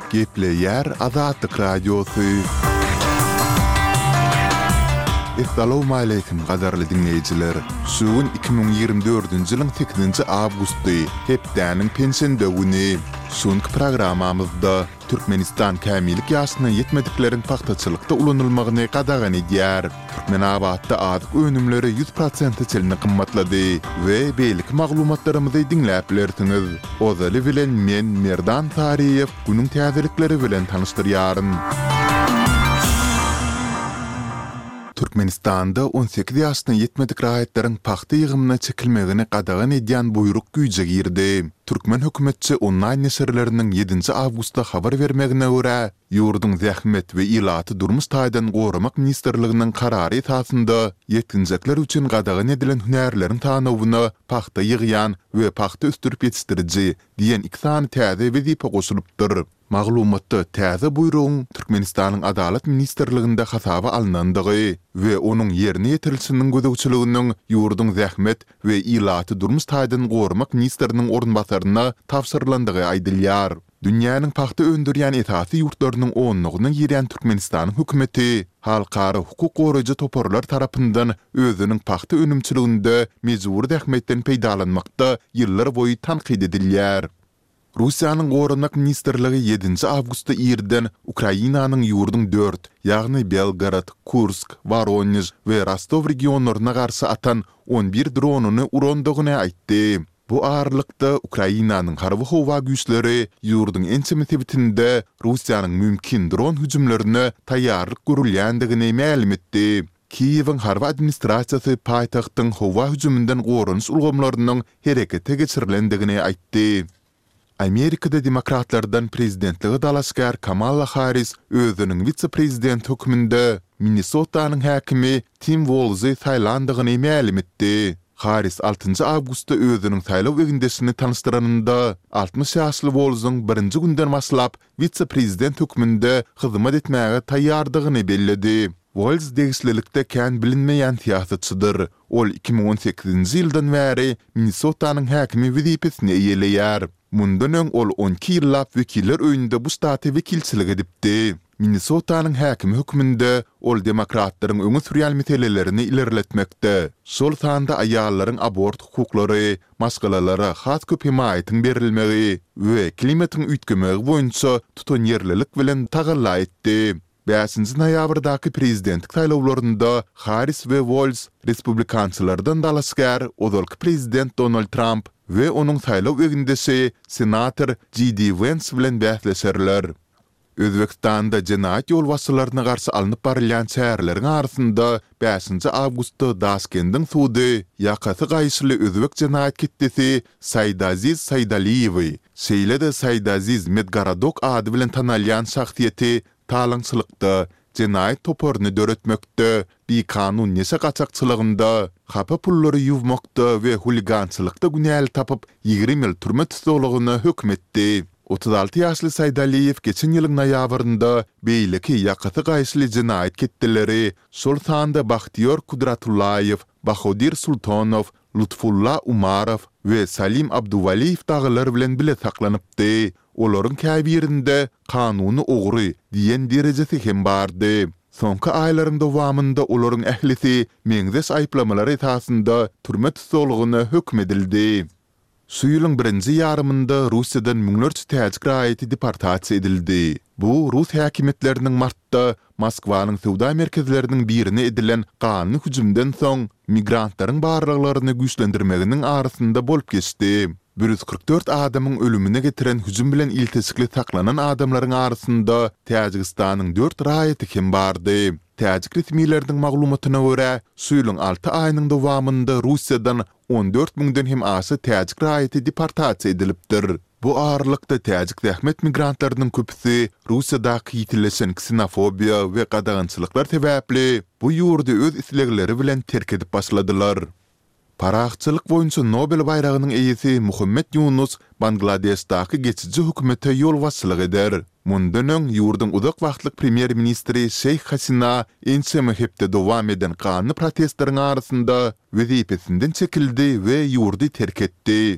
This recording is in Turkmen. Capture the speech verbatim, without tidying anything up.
Gepleýär Azatlyk Radiosy. Essalawmaleýkim gadyrly diňleýjiler! Şu gün iki müň ýigrimi dördünji ýylyň sekizinji awgusty, hepdäniň penşenbe güni. Şu günki programmamyzda Türkmenistan kämillik ýaşyna ýetmedikleriň pagtaçylykda ulanylmagyny gadagan edýär. Türkmenabatda azyk önümleri ýüz prosente çenli gymmatlady we beýleki maglumatlarymyzy diňläp bilersiňiz. Ozaly bilen men Merdan Saryýew günüň täzelikleri bilen tanyşdyrýaryn. Türkmenistanda on sekiz ýaşyna ýetmedik raýatlaryň pagta ýygymyna çekilmegini gadagan edýän buýruk güýje girdi. Türkmen hökümetçi onlaýn neşirleriniň ýedinji awgustda habar bermegine görä, ýurduň Zähmet we ilaty durmuş taýdan goramak ministrliginiň karary esasynda ýetginjekler üçin gadagan edilen hünärleriň sanawyna pagta ýygýan we pagta ösdürip ýetişdiriji diýen iki sany täze wezipe goşulypdyr. Maglumatda täze buýrugyň Türkmenistanyň Adalat ministrliginde hasaba alnandygy we onuň ýerine ýetirilişiniň gözegçiliginiň ýurduň zähmet we ilaty durmuş taýdan goramak ministriniň orunbasaryna tabşyrylandygy aýdylýar. Dünýäniň pagta öndürýän esasy ýurtlarynyň onlugyna girýän Türkmenistanyň hökümeti halkara hukuk goraýjy toparlar tarapyndan özüniň pagta önümçiliginde mejbury zähmetden peýdalanmakda ýyllarboýy tankyt edilýär. Russiýanyň Goranmak ministrligi ýedinji awgustda irden Ukrainanyň ýurduň dört, ýagny Belgorod, Kursk, Woronež we Rostow regionlaryna garşy atan on bir dronyny urandygyny aýtdy. Bu aralykda, Ukrainanyň harby-howa güýçleri ýurduň ençeme sebitinde Russiýanyň mümkin dron hüjümlerine taýýarlyk görülýändigini mälim etdi. Kiýewiň harby administrasiýasy paýtagtyň howa hüjüminden goranyş ulgamlarynyň herekete geçirilendigini aýtdy. Amerikada demokratlardan prezidentlige dalaşgär Kamala Harris özüniň wise-prezident hökmünde Minnesotanyň häkimi Tim Wolzy saýlandygyny mälim etdi. Harris altynjy awgustda özüniň saýlaw egindeşini tanyşdyranynda, altmyş ýaşly Wolzuň birinji günden başlap wise-prezident hökmünde hyzmat etmäge taýýardygyny belledi. Wolz degişlilikde kän bilinmeýän syýasatçydyr. Ol iki müň on sekizinji ýyldan bäri Minnesotanyň häkimi wezipesini eýeleýär. Mundan öň ol on iki ýyllap Wekiller öýünde bu ştata wekilçilik edipdi. Minnesotanyň häkimi hökmünde ol demokratlaryň öňe sürýän meselelerini ilerletmekde, şol sanda aýallaryň abort hukuklary, maşgalalara has köp hemaýatyň berilmegi we klimatyň üýtgemegi boýunça tutanýerlilik bilen tagalla etdi. Bäşinji noýabrdaky prezidentlik saýlawlarynda Harris we Wolz respublikançylardan dalaşgär ozalky prezident Donald Tramp we onuň saýlaw egindeşi senator J D Wens bilen bäsleşerler. Özbegistanda jenaýat ýolbaşçylaryna garşy alnyp barylýan çäreleriň arasynda bäşinji awgustda Daşkendiň sudy ýakasy gaýyşly özbek jenaýat ketdesi Saidaziz Saidaliýewi, şeýle-de Saidaziz Medgorodok ady bilen tanalýan şahsyýeti talaňçylykda, jenaýat toparyny döretmekde, bikanun neşe gaçakçylygynda, hapa pullary ýuwmakda we huligançylykda günäli tapyp, ýigrimi ýyl türme tussaglygyna höküm etdi. Otuz alty ýaşly Saidaliýew geçen ýylyň noýabrynda beýleki ýakasy gaýyşly jenaýat ketdeleri, şol sanda Bahtiýor Kudratullaýew, Bahodir Sultonow, Lutfulla Umarow we Salim Abduwaliýew dagylar bilen bile saklanypdy. Olaryň käbirinde kanuny ogry diýen derejesi hem bardy. Soňky aýlaryň dowamynda olaryň ählisi meňzeş aýyplamalar esasynda türme tussaglygyna höküm edildi. Şu ýylyň birinji ýarymynda Russiýadan müňlerçe täjik raýaty deportasiýa edildi. Bu rus häkimiýetleriniň martda Moskwanyň söwda merkezleriniň birine edilen ganly hüjümden soň migrantlaryň barlaglaryny güýçlendirmeginiň arasynda bolup geçdi. Bir ýüz kyrk dört adamyň ölümine getiren hüjüm bilen ilteşikli saklanan adamlaryň arasynda Täjigistanyň dört raýaty hem bardy. Täjik resmileriniň maglumatyna görä, şu ýylyň alty aýynyň dowamynda Russiýadan on dört müňden hem aşa täjik raýaty deportasiýa edilipdir. Bu aralykda täjik zähmet migrantlarynyň köpüsi Russiýadaky ýitileşen ksenofobiýa we gadagançylyklar sebäpli bu ýurdy öz islegleri bilen terk edip başladylar. Parahatçylyk boýunça Nobel baýragynyň eýesi Muhammet Ýunus Bangladeşdaky geçiji hökümete ýolbaşçylyk eder. Mundan öň, ýurduň uzak wagtlyk premýer-ministri Şeýh Hasina ençeme hepde dowam eden ganly protestleriň arasynda wezipesinden çekildi we ýurdy terk etdi.